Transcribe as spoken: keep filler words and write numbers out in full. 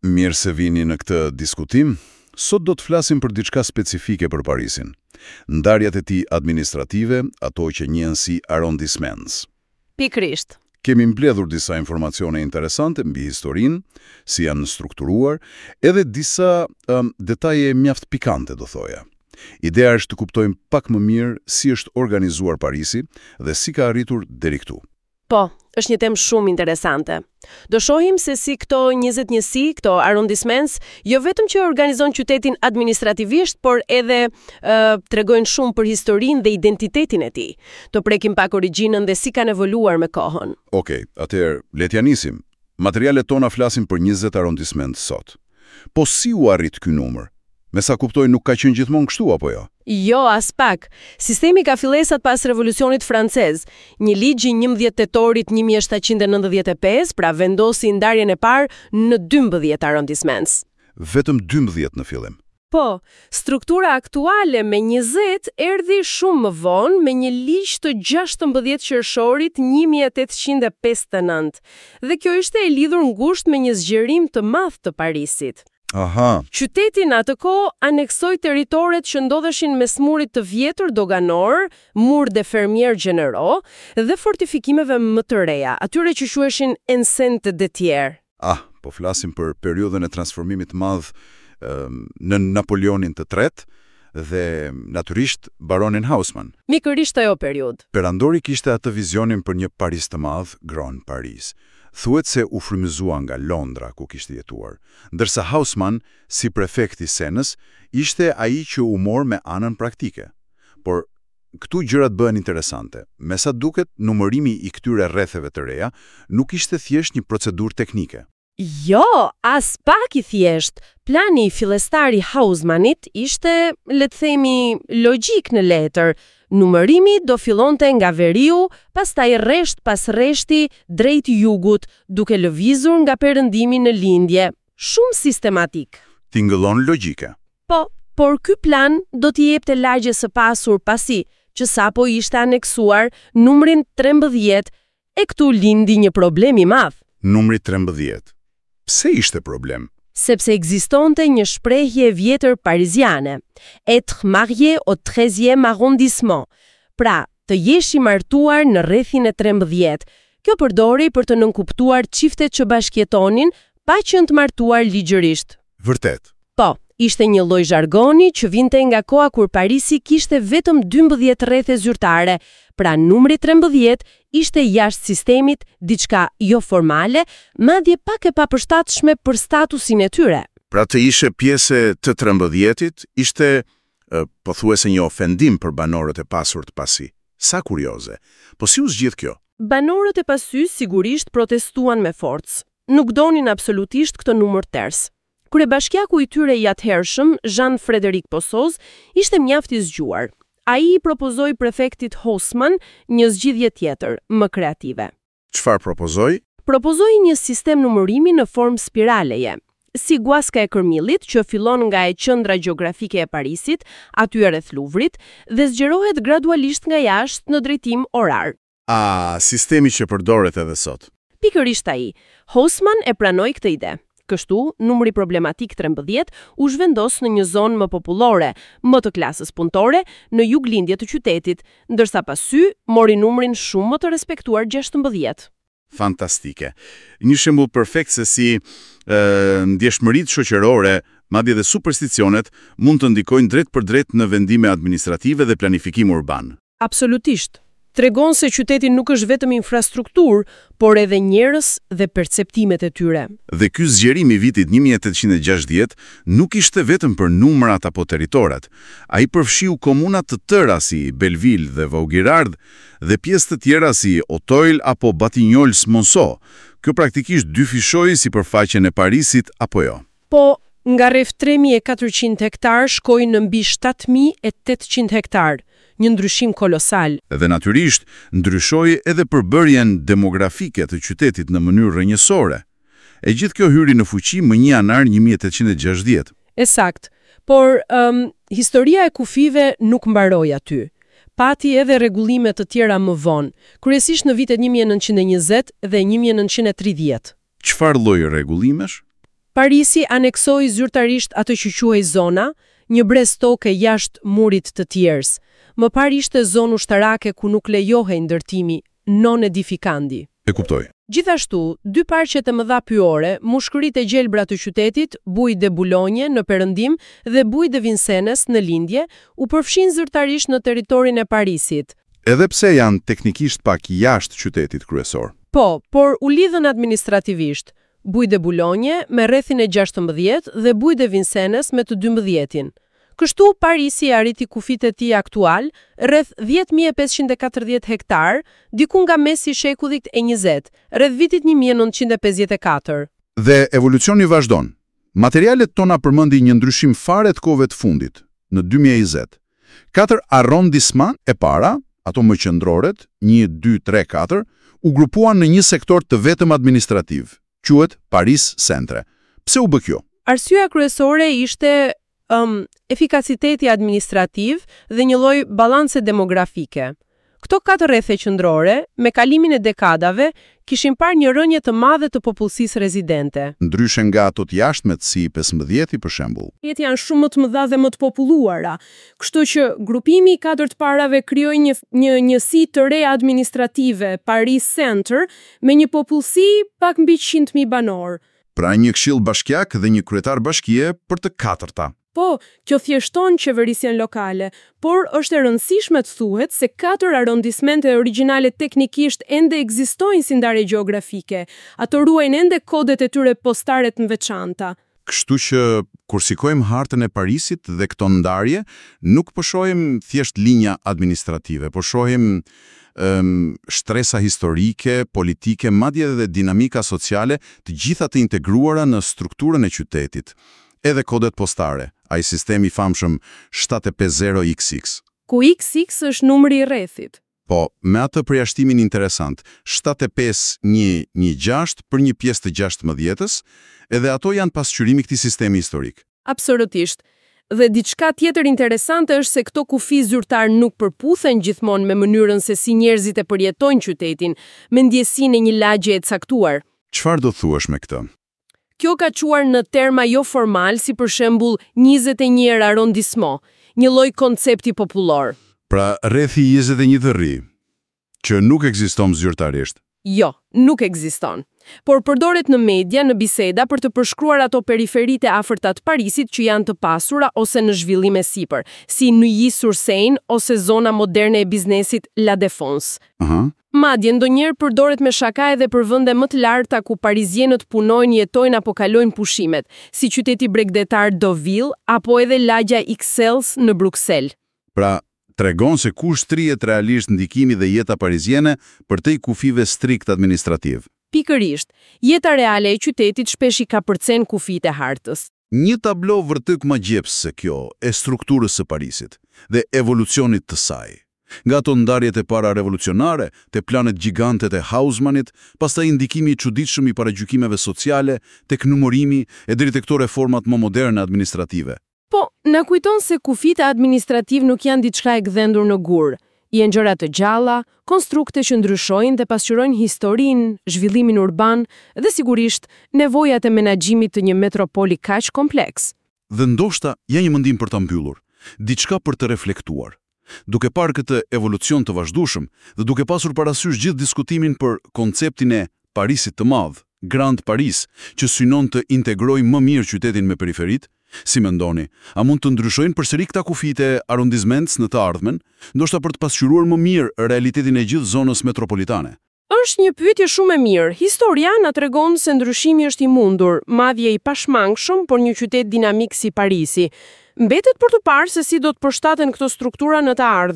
Mirë se vini në këtë diskutim. Sot do të flasim për diçka specifike për Parisin. Ndarjet e tij administrative, ato që njihen si arrondissements. Pikërisht. Kemi mbledhur disa informacione interesante mbi historinë, si janë strukturuar, edhe disa um, detaje mjaft pikante, do thoja. Ideja është të kuptojmë pak më mirë si është organizuar Parisi dhe si ka arritur deri këtu. Po, është një temë shumë interesante. Do shohim se si këto njëzet njësi, këto arrondissements, jo vetëm që organizon qytetin administrativisht, por edhe uh, tregojnë shumë për historinë dhe identitetin e tij. Do prekim pak origjinën dhe si kanë evoluar me kohën. Okej, atëherë le t'ja nisim. Materialet tona flasin për njëzet arrondissement sot. Po si u arrit ky numër? Me sa kuptoj, nuk ka qenë gjithmonë kështu, apo jo? Jo, as pak. Sistemi ka fillesat pas Revolucionit Francez. Një ligj i njëmbëdhjetë tetorit një mijë e shtatëqind e nëntëdhjetë e pesë, pra, vendosi ndarjen e parë në dymbëdhjetë arrondissements. Vetëm dymbëdhjetë në fillim. Po, struktura aktuale me njëzet erdhi shumë më vonë, me një ligj të gjashtëmbëdhjetë qershorit një mijë e tetëqind e pesëdhjetë e nëntë. Dhe kjo ishte e lidhur ngushtë me një zgjerim të madh të Parisit. Aha. Qyteti në atë kohë aneksoi territoret që ndodheshin mes murit të vjetër doganor, Mur des Fermiers Généraux, dhe fortifikimeve më të reja, atyre që quheshin enceinte de Thiers. Ah, po flasim për periudhën e transformimit të madh ëm, në Napoleonin të Tretë dhe natyrisht baronin Haussmann. Pikërisht ajo periudhë. Perandori kishte atë vizionin për një Paris të madh, Grand Paris. Thuhet se u frymëzua nga Londra, ku kishte jetuar, ndërsa Haussmann, si prefekt i Senës, ishte ai që u mor me anën praktike. Por këtu gjërat bëhen interesante. Me sa duket, numërimi i këtyre rretheve të reja nuk ishte thjesht një procedurë teknike. Jo, as pak i thjesht. Plani fillestar i Haussmannit ishte, le të themi, logjik në letër. Numërimi do fillonte nga veriu, pastaj rresht pas rreshti drejt jugut, duke lëvizur nga perëndimi në lindje. Shumë sistematik. Tingëllon logjike. Po, por ky plan do t'i jepte lagjes së pasur Pasi, që sapo ishte aneksuar, numrin trembëdhjetë, e këtu lindi një problem i madh. Numri trembëdhjetë. Pse ishte problem? Sepse ekzistonte një shprehje e vjetër pariziane, "Être marié au treizième arrondissement", pra, të jesh i martuar në rrethin e trembëdhjetë. Kjo përdori për të nënkuptuar çiftet që bashkjetonin pa qenë të martuar ligjërisht. Vërtet. Po, ishte një lloj zhargoni që vinte nga koha kur Parisi kishte vetëm dymbëdhjetë rrethe zyrtare, pra numri trembëdhjetë ishte jashtë sistemit, diçka jo formale, madje pak e papërshtatshme për statusin e tyre. Pra, të ishe pjesë e të trembëdhjetit ishte e, pothuajse një ofendim për banorët e pasur të Pasi. Sa kurioze. Po si u zgjidh kjo? Banorët e Pasy sigurisht protestuan me forcë. Nuk donin absolutisht këtë numër ters. Kryebashkiaku i tyre i atëhershëm, Jean-Frédéric Possoz, ishte mjaft i zgjuar. Ai i propozoi prefektit Haussmann një zgjidhje tjetër, më kreative. Çfarë propozoi? Propozoi një sistem numërimi në formë spiraleje, si guaska e kërmillit që fillon nga e qendra gjeografike e Parisit, aty rreth Luvrit, dhe zgjerohet gradualisht nga jashtë në drejtim orar. A, sistemi që përdoret edhe sot. Pikërisht ai. Haussmann e pranoi këtë ide. Kështu, numri problematik trembëdhjetë u zhvendos në një zonë më popullore, më të klasës punëtore, në juglindje të qytetit, ndërsa Pasy mori numrin shumë më të respektuar gjashtëmbëdhjetë. Fantastike. Një shembull perfekt se si e, ndjeshmëritë shoqërore, madje edhe supersticionet, mund të ndikojnë drejt për drejt në vendime administrative dhe planifikim urban. Absolutisht. Tregon se qyteti nuk është vetëm infrastrukturë, por edhe njerëz dhe perceptimet e tyre. Dhe ky zgjerim i vitit një mijë e tetëqind e gjashtëdhjetë nuk ishte vetëm për numrat apo territoret. Ai përfshiu komunat të tëra si Belleville dhe Vaugirard dhe pjesë të tjera si Auteuil apo Batignolles Monceau. Kjo praktikisht dyfishoi sipërfaqen e Parisit, apo jo? Po, nga rreth tre mijë e katërqind hektar shkoi në mbi shtatë mijë e tetëqind hektar, një ndryshim kolosal. Dhe natyrisht, ndryshoi edhe përbërjen demografike të qytetit në mënyrë rrënjësore. E gjithë kjo hyri në fuqi më një janar një mijë e tetëqind e gjashtëdhjetë. E sakt. Por um, historia e kufive nuk mbaroi aty. Pati edhe rregullime të tjera më vonë, kryesisht në vitet një mijë e nëntëqind e njëzet dhe një mijë e nëntëqind e tridhjetë. Çfarë lloj rregullimesh? Parisi aneksoi zyrtarisht atë që quhej zona, një brez toke jashtë murit të Thiers. Më parë ishte zonë ushtarake ku nuk lejohej ndërtimi, non aedificandi. E kuptoj. Gjithashtu, dy parqet e mëdha pyore, mushkëritë e gjelbra të qytetit, Bois de Boulogne në perëndim dhe Bois de Vincennes në lindje, u përfshin zyrtarisht në territorin e Parisit. Edhe pse janë teknikisht pak jashtë qytetit kryesor. Po, por u lidhën administrativisht, Bois de Boulogne me rrethin e gjashtëmbëdhjetë dhe Bois de Vincennes me të dymbëdhjetin. Kështu, Parisi arriti kufit e tij aktual, rreth dhjetë mijë e pesëqind e katërdhjetë hektar, diku nga mesi i shekullit e njëzet, rreth vitit një mijë e nëntëqind e pesëdhjetë e katër. Dhe evolucioni vazhdon. Materialet tona përmendin një ndryshim fare të kohëve të fundit, në dy mijë e njëzet. Katër arrondissement e para, ato më qendroret, një, dy, tre, katër, u grupuan në një sektor të vetëm administrativ, quhet Paris Centre. Pse u bë kjo? Arsyeja kryesore ishte um, efikasiteti administrativ dhe një lloj balance demografike. Këto katër rrethe qendrore, me kalimin e dekadave, kishin parë një rënje të madhe të popullsisë rezidente. Ndryshe nga ato të jashtmet si pesëmbëdhjeti për shembull. Jetë janë shumë më të mëdha dhe më të populluara. Kështu që grupimi i katër të parave krijoi një një njësi të re administrative, Paris Center, me një popullsi pak mbi njëqind mijë banorë. Pra, një këshill bashkiak dhe një kryetar bashkie për të katërta. Po, kjo thjeshton qeverisjen lokale, por është e rëndësishme të thuhet se katër arrondismente origjinale teknikisht ende ekzistojnë si ndarje gjeografike. Ato ruajnë ende kodet e tyre postare të veçanta. Kështu që, kur shikojmë hartën e Parisit dhe këto ndarje, nuk po shohim thjesht linja administrative, po shohim um, shtresa historike, politike, madje edhe dinamika sociale, të gjitha të integruara në strukturën e qytetit. Edhe kodet postare, ai sistemi i famshëm shtatë pesë zero X X. Ku X X është numri i rrethit. Po, me atë përjashtimin interesant, shtatë pesë një një gjashtë për një pjesë të gjashtëmbëdhjetës, edhe ato janë pasqyrimi këtij sistemi historik. Absolutisht. Dhe diçka tjetër interesante është se këto kufi zyrtar nuk përputhen gjithmonë me mënyrën se si njerëzit e përjetojnë qytetin, me ndjesinë e një lagje e caktuar. Çfarë do thuash me këtë? Kjo ka çuar në terma jo formal, si për shembull njëzet e një arrondissement, një lloj koncepti popullor. Pra, rrethi njëzet e një të ri, që nuk ekziston zyrtarisht. Jo, nuk ekziston. Por përdoret në media, në biseda, për të përshkruar ato periferitë e afërta të Parisit që janë të pasura ose në zhvillim e sipër, si Neuilly-sur-Seine ose zona moderne e biznesit La Défense. Aha. Madje, ndonjëherë përdoret me shaka edhe për vende më të larta ku parizienët punojnë, jetojnë apo kalojnë pushimet, si qyteti bregdetar Deauville apo edhe lagja Ixelles në Bruksel. Pra, tregon se ku shtrihet realisht ndikimi dhe jeta pariziene përtej kufive strikt administrativ. Pikërisht, jeta reale e qytetit shpesh i kapërcen kufijtë e hartës. Një tablo vërtet magjepsëse kjo e strukturës së Parisit dhe evolucionit të saj. Nga ato ndarjet e para revolucionare, te planet gjigantet e Haussmannit, pastaj ndikimi i çuditshëm i paragjykimeve sociale, tek numërimi e deri te këto reformat më moderne administrative. Po, na kujton se kufijtë administrativ nuk janë diçka e gdhendur në gur. Janë gjëra të gjalla, konstrukte që ndryshojnë dhe pasqyrojnë historinë, zhvillimin urban dhe sigurisht nevojat e menaxhimit të një metropoli kaq kompleks. Dhe ndoshta ja një mendim për ta mbyllur, diçka për të reflektuar. Duke parë këtë evolucion të vazhdueshëm dhe duke pasur parasysh gjithë diskutimin për konceptin e Parisit të madh, Grand Paris, që synon të integrojë më mirë qytetin me periferit, si mendoni, a mund të ndryshojnë përsëri këta kufijtë e arrondissements në të ardhmen, ndoshta për të pasqyruar më mirë realitetin e gjithë zonës metropolitane? Është një pyetje shumë e mirë. Historia na tregon se ndryshimi është i mundur, madje i pashmangshëm për një qytet dinamik si Parisi. Mbetet për të parë se si do të përshtaten këto struktura në të ardhmen.